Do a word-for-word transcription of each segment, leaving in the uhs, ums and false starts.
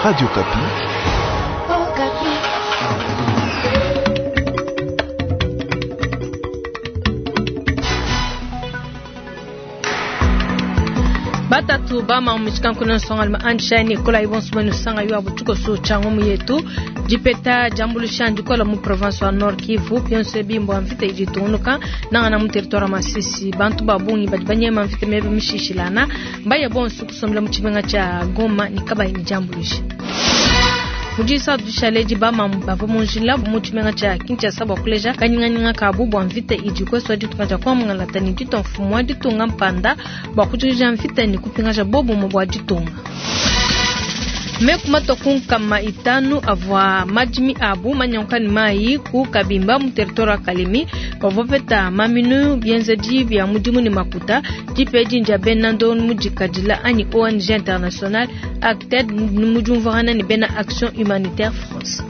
Radio Okapi. Batatu bama muchikankuna nsongalima andisha ne kola ibonso benu sanga yo abutuko chango muyetu dipeta jambulusha ndikola mu province wa Nord Kivu byonse bimbo mvita iditungunuka nangana mu territoire Masisi bantu babungi badi banyema mvita mebe mishishilana mbaya bonso kusombela mu chibenga cha Goma ni kabayi ni jambulusha mujisa dushaleji bama bava munjila mu chimenga cha Kinshasa bwa kuleja kanyinganyinga kabu bwa mvita idi kweswa ditunga dia kwamungala ni ditu mfumu wa ditunga mpanda bwa kujikija mvita ni kupingaja bobumo bwa ditunga meku kunkama itanu avua madimi abu manyankani mai ku kabimba mu territoire wa Kalemi bavua peta maminu bienzedi bia mudimu ni makuta dipe dindia bena ndonu mudikadila anyi O N G international ACTED mujumvana ni bena Action Humanitaire France.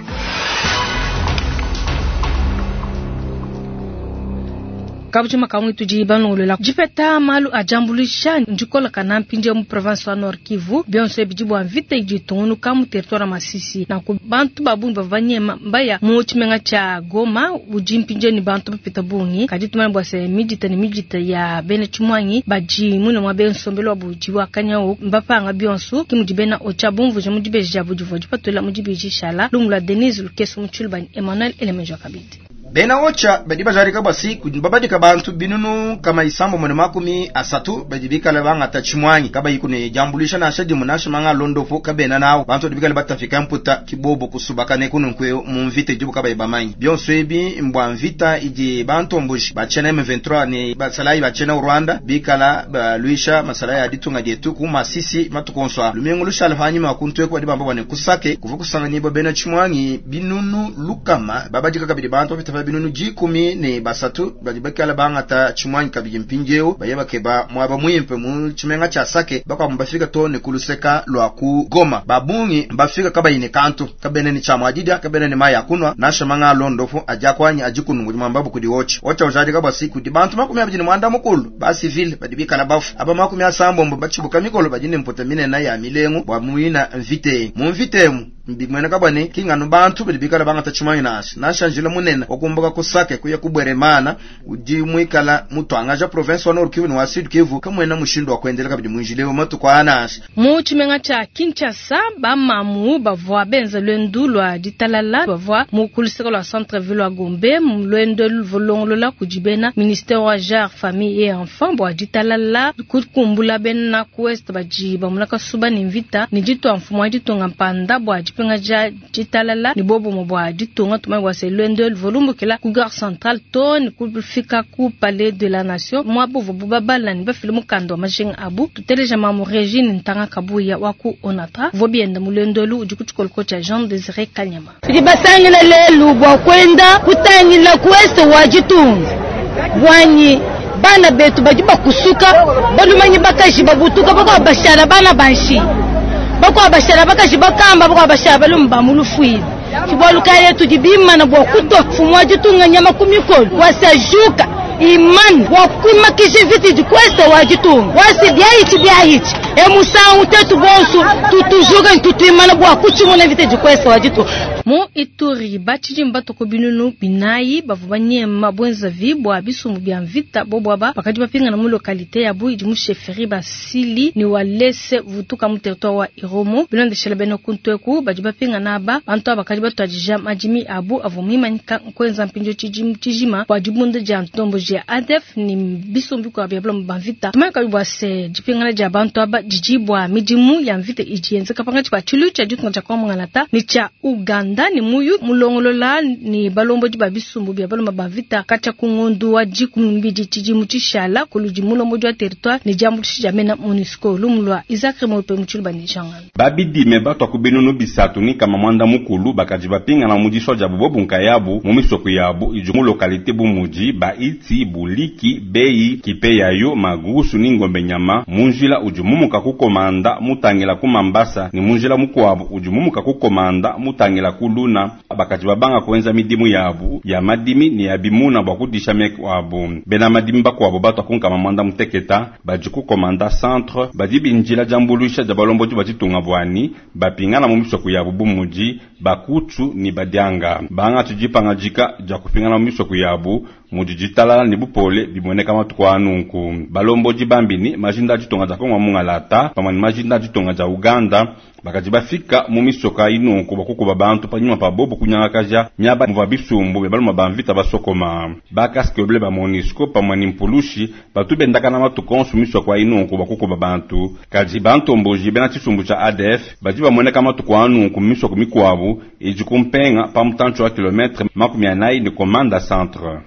Kabujima kamwe tudi banongolola dipeta malu a jambulisha ndikola kana mpindia mu province wa Nord Kivu byonso bidi bwa mvita idi tungunuka mu territoire Masisi na ku bantu babungi bavanyema mbaya mu chimenga cha Goma udi mpindia ni bantu bapita bungi kadi tumana bwa se midita ni midita ya bena chimwanyi baji mune mwa bensombelo buji wa kanyao mbapanga byonso kimudi bena ocha bumvuje mu dibeja budivo dipatula mu dibeji shala lumula Denise Lukeso mu Chulbani Emmanuel Elemenjo Kabidi. Bena ocha badi bajarika basi babadika bantu binunu kama isambo mwene makumi asatu badi bikala bangata chimwanyi kaba yikune jambulisha na shadi munasha manga londofo kabena nawo bantu badi bikala batafika mputa kibobo kusubaka ne kunu nkwe mu mvita ijibu kaba ibamanyi byonso ebi mbwa mvita idi bantu mbuji bachena M vingt-trois ni basalayi bachena Rwanda bikala balwisha masalayi aditunga dietu ku Masisi matukonswa lumengo lushala hanyuma kuntwe kwa dibamba bwane kusake kuva kusanga nibo bena chimwanyi binunu lukama babadika kabidi bantu bapita binunu jikumi ne basatu badi bakala bangata chimwanyi kabidi mpinjeo baye bakeba mwaba mwimpe mu chimenga cha Sake bakwa mbafika to ne kuluseka lwa ku Goma babungi mbafika kabayine kantu kabene ni chamwa adidia kabene ni maya kunwa nasha manga londofo ajakwanya ajikunungu mwambabu kudi wochi ocha ujadi kabasi kudi bantu makumi abidi mwanda mukulu ba civil badi bikala bafu aba makumi asambombo bachibuka mikolo badine mputa minena ya milengo bwa muina mvite mu mvitemu mbimwena kabane kingano bantu badi bikala bangata chimwanyi nasha nasha njila munene okumbuka kusake kuya kubweremana udi mwikala mutwangaja province wa Nord Kivu ni wa Sud Kivu kamwena mushindu wa kuendelea kabidi mwinjilewo matuko anasha. Mu chimenga cha Kinshasa bamamu bavua benza lwendu lwa ditalala bavua mu kuluseka lwa centre ville wa Gombe lwendo lulongolola kudibena ministère wa genre famille et enfant bwa ditalala kukumbula bena ku ouest badi bamulaka suba ni mvita ni ditwa mfumu wa ditunga mpanda bwa dipinga dia ditalala ni bobomo bwa ditunga tumai bwa se lwendo lvolumbukila ku gare centrale to ni kufika ku palais de la nation mwa bovo bubabala ni bafile mukanda wa majinga abu tuteleja mamu Regine Ntanga Kabuya wa ku Onatra vobienda mulendolu udi kutshikoloko tsha Jean Desire Kanyama. Tudi basangila lelu bua kwenda kutangila kuwese wa ditunga bwanyi bana betu badi bakusuka balumanyi bakaji babutuka bakuwa bashala bana banshi bakuwa bashala bakaji bakamba bakuwa bashala balumu bamulufuile tibwaluka tudi bimana bua kutua mfumu wa ditunga nyama ku mikolo wasajuka imani wakuimakisha viti dikwese wa ditunga wasi byaichi byaichi emusangu tetu bonso tutujuka tutuimana bua kuchimuna viti dikwese wa ditunga. Mu Ituri batshidi batoko binunu binayi bavua banyema bwenzavi bua bisumbu bia mvita bobwaba bakadi bapingana mu localité yabu idi mu chefferie basili ni walese vutuka mu territoire wa Irumu bilondeshela bena kuntweku badi bapingana aba bantu aba bakadi batuadija madimi abu avua muimanyika nkwenza mpindio tshijima bua dibunda dia ntombo dia A D F ni bisumbu bikuabu bia bulomo ba mvita tumanyika bua se dipingana dia bantu aba didi bua midimu ya mvita idi yenzeka pangatshi pa tshilu tshia ditunga tshia Kongo ni tshia Uganda ni muyu mulongolola ni balombodi ba bisumbu bia baloma ba vita katshia ku ngondu wa dikumi mbidi tshidimu tshishala kuludi mulombodi wa territoire ni diambuluishi dia mena MONUSCO lumu lwa Isaac Mope mutshilu banijangana. Babidime batwa ku binunu bisatu ni kama mwanda mukulu bakaji bapingana mu diswa dia bobo nkayabu mu misoko yabu idi mu localité bumudi ba Iti Buliki Bei Kipeyayo Magusu ni Ngombe Nyama mu njila udi mumuka. mumuka ku Komanda mutangila ku Mambasa ni munjila mukwabu udi mumuka ku Komanda mutangila ku Luna bakadi babanga kuenza midimu yabu ya madimi ni ya bimuna bua kudisha meku abu. Bena madimi bakuabu batwa kunkama mwanda muteketa badi ku Komanda centre badi binjila diambuluisha dia balombodi ba ditunga bwani bapingana mu misoko yabu bumudi bakutu ni badianga banga tudipangajika dia kupingana mu misoko yabu mudi ditalala ni bupole bimoneka matuku anunku. Balombodi bambini majinda ditunga dia Kongo mungalata pamwe ni majinda ditunga dia Uganda bakadi bafika mu misoka inunku bakukuba bantu panyuma pa bobo kunyangakaja miaba muva bisumbu be baluma bamvita basokoma bakaske bleu ba MONUSCO pamwe ni mpulushi batu bendakana matuku onso misoko inunku bakukuba bantu kadi bantomboji bena tshisumbu tshia A D F badi bamoneka matuku anunku misoko mikwabu idi kumpenga pa mutantsho wa kilometre makumi anayi ni Komanda centre.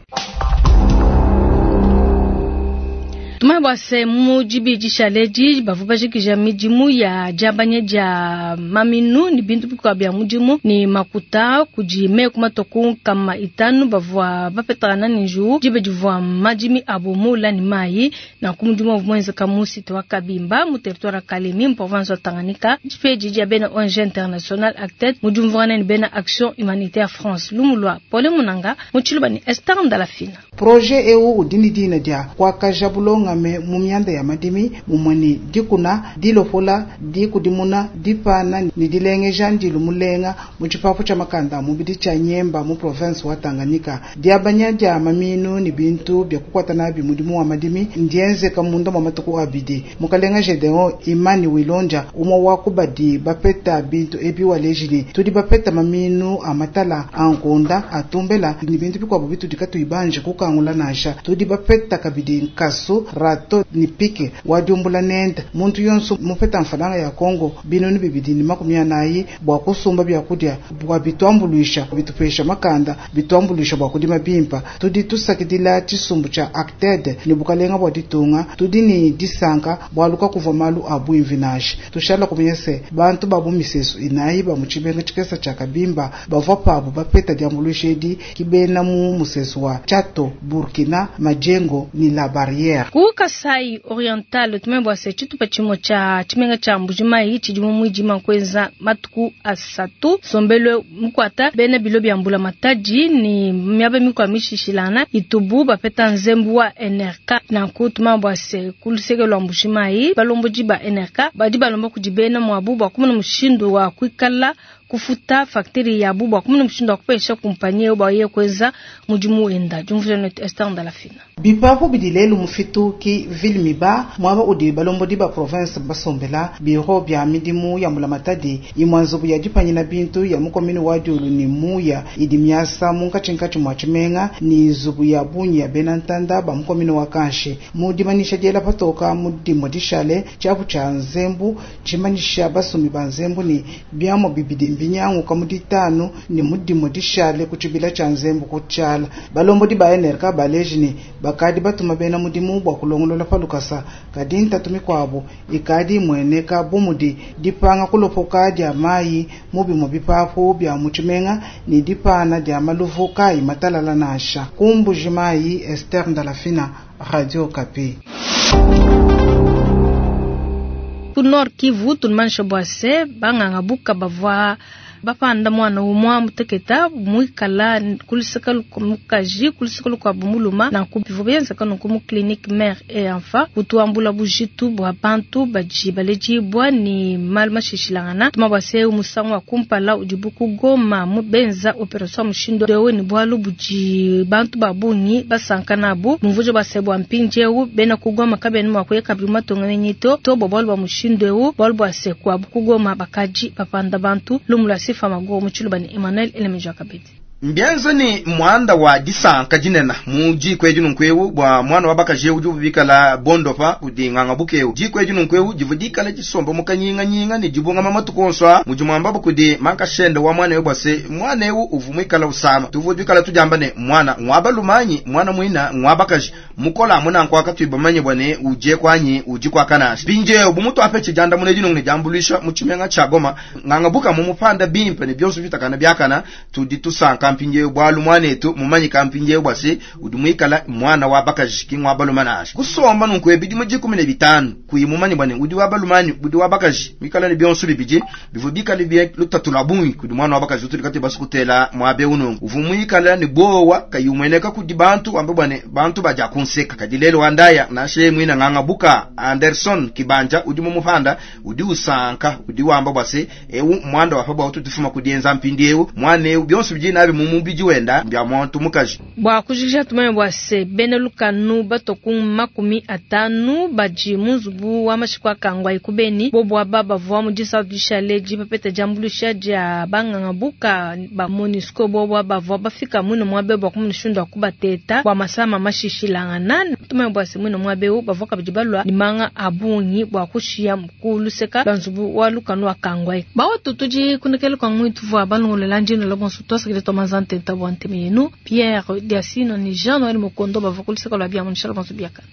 Tumai bwase mujibi jishaleji bavuba jikija midimu ya jabanye ja maminu ni bintu bikwa bya mudimu ni makuta kujime kumatoku kama itanu bavua bapetana ninju jibe jivua madimi abo mula ni mai na kumudimu mwenza kamusi twa Kabimba mu territoire Kalemi mu province Tanganyika jipeji ja bena O N G International Acted mujumvana ni bena Action Humanitaire France lumulwa pole munanga muchiluba ni Esther Ndalafina projet eu udini dina dia kwa kajabulonga me mumyanda ya madimi mumweni dikuna dilopola dikudimuna dipana ni dilengeja ndilu mulenga mu tshipapu tshia makanda mubidi tshia Nyemba mu province wa Tanganyika diabanya dia maminu ni bintu bya kukwata nabi mudimu wa madimi ndienzeka munda mwa matuku abidi mukalenga Gedeon Imani Wilonja umwe wa kubadi bapeta bintu ebi walejini tudi bapeta maminu amatala ankonda atumbela ni bintu bikwabo bitu dikatuibanje kukangula nasha tudi bapeta kabidi nkasu rato ni pike wadiumbula nenda muntu yonso mupeta mfalanga ya Kongo binoni bibidi ni makumi anayi bwa kusumba byakurya bwa bitwambuluisha bitupesha makanda bitwambuluisha bwa kudima bimpa tudi tusakidila tshisumbu tsha Acted ni bukalenga bwa ditunga tudi ni disanka bwaluka kuva malu abu imvinashi tushala kumyese bantu babu misesu inayi ba muchibenga tshikesa tsha Kabimba bavwa pabu bapeta diambuluisha edi kibena mu musesu wa Chato Burkina Majengo ni la barrière ku Kasai Oriental tumembwa se chitupa chimo cha chimenga cha Mbujimai chidimu mwijima kwenza matuku asatu sombelwe mukwata bena bilo bya mbula mataji ni miaba mikwa mishishilana itubu bapeta nzembu wa N R K na kutumambwa se kuluseke lwa Mbujimai balomboji ba N R K badi balomba kujibena mwabu bwa kumuna mushindu wa kuikala kufuta factory ya bubu akumuna mushindu wa kupesha kumpanyi oba ye kweza mudimu enda jumvuje net Esther Ndalafina bipapu bidilelu mufitu ki ville miba mwaba udi balombodi ba province basombela biro bya midimu ya mulamatadi imwanzubu ya dipanyina bintu ya mukomini wa diulu ni muya idi myasa munkatshinkatshi mwa tshimenga ni zubu ya bunyi ya benantanda ba mukomini wa kanshi mudimanisha diela patoka mudimo dishale tshiapu tshia nzembu tshimanisha basumi ba nzembu ni biamo bibidi mbinyangu kamuditanu ni mudimo dishale kuchibila tshia nzembu kutshala balombodi ba N R K baleji ni bakadi batuma bena mudimu bwa kulongolola palukasa kadi ntatu mikwabo ikadi mweneka bumudi dipanga kulopoka dia mayi mubi bipapu bya mutshimenga ni dipana dia maluvu kayi matalala nasha kumbuji mayi Esther Ndalafina Radio Kapi. Ku Nord Kivu tulimanisha bwase banganga buka bavwa bapanda mwana umwa muteketa mwikala kulisaka mukaji kulisaka kwa bumuluma na kubivubenza kanu ku clinique mère et enfant kutuambula bujitu bwa bantu baji baleji bwa ni maluma shishilangana tuma bwase umusango wa kumpala udibuku goma mubenza operation mushindo dewe ni bwalu buji bantu babungi basankana bu mvujo base bwa mpinjewu bena kugoma kabeni mwa kuyeka bimatonga nenyito to bobwalu bwa mushindo ewu bwalu bwase kwa bukugoma bakaji bapanda bantu lumula sifa mago muchiluba ni Emmanuel Elemeja Kabedi Mbianza ni mwanda wa disanka dinena mu jiko eji nunkwewu bwa mwana wa bakaje uju bikala bondopa kudinganga bukewu jiko eji nunkwewu jivudikala jisomba mukanyinga nyinga ni jibunga mama tukonswa mujumwamba bukudi mankashende wa mwana bwase mwana ewu uvumwikala usama tuvudikala tujamba ne mwana ngwaba lumanyi mwana mwina ngwaba kaje mukola muna nkwaka twibamanye bwane uje kwanyi uji kwa kanashi binje ubumutu apeche janda muneji nungne jambulisha muchimenga chagoma nganga buka mu mupanda bimpe ne byonso bitakana byakana tudi tusanka mpindiewu bwalu mwanetu mumanyika mpindiewu bwa se udi muikala mwana wa bakaji ki ngwa baluma nansha kusomba nunku ebidimu dikumi ne bitanu kuyi mumanye bwa ne udi wa baluma udi wa bakaji mikala ne bionso bibidi bivua bikale bie lutatu lwa bungi kudi mwana wa bakaji utudi kati basukutela mwabe unungu uvu muikala ne bowa kayi umueneka kudi bantu wambe bwa ne bantu badia kunseka kadi lelo wandaya nashe mwina nganga buka Anderson Kibanja udi mumupanda udi usanka udi wamba bwa se ewu mwanda wa pabwa ututufuma kudienza mpindi ewu mwana ewu bionso bidi nabi mu mubidi wenda mbya muntu mukaji bwa kujikija tumanye bwa se bena lukanu batoku makumi atanu badi mu nzubu wa mashiko akangwa ikubeni bobo aba bavua mu disatu dishale dipapeta diambuluisha dia banganga buka ba MONUSCO bobo aba bavua bafika mwino mwabe bwa kumunishunda kubateta bwa masama mashishilangana tumanye bwa se mwino mwabe bavua kabidi balwa limanga abungi bwa kushiya mkuluseka lwa nzubu wa lukanu akangwa bawa tutudi kunekele kwa mwitu vwa balongolela ndino la bonso twasakile twamazantenta bwa nteme yenu Pierre Diasino ni Jean Noël Mokondo bavua kuluseka lwa bia munishala bonso biakana.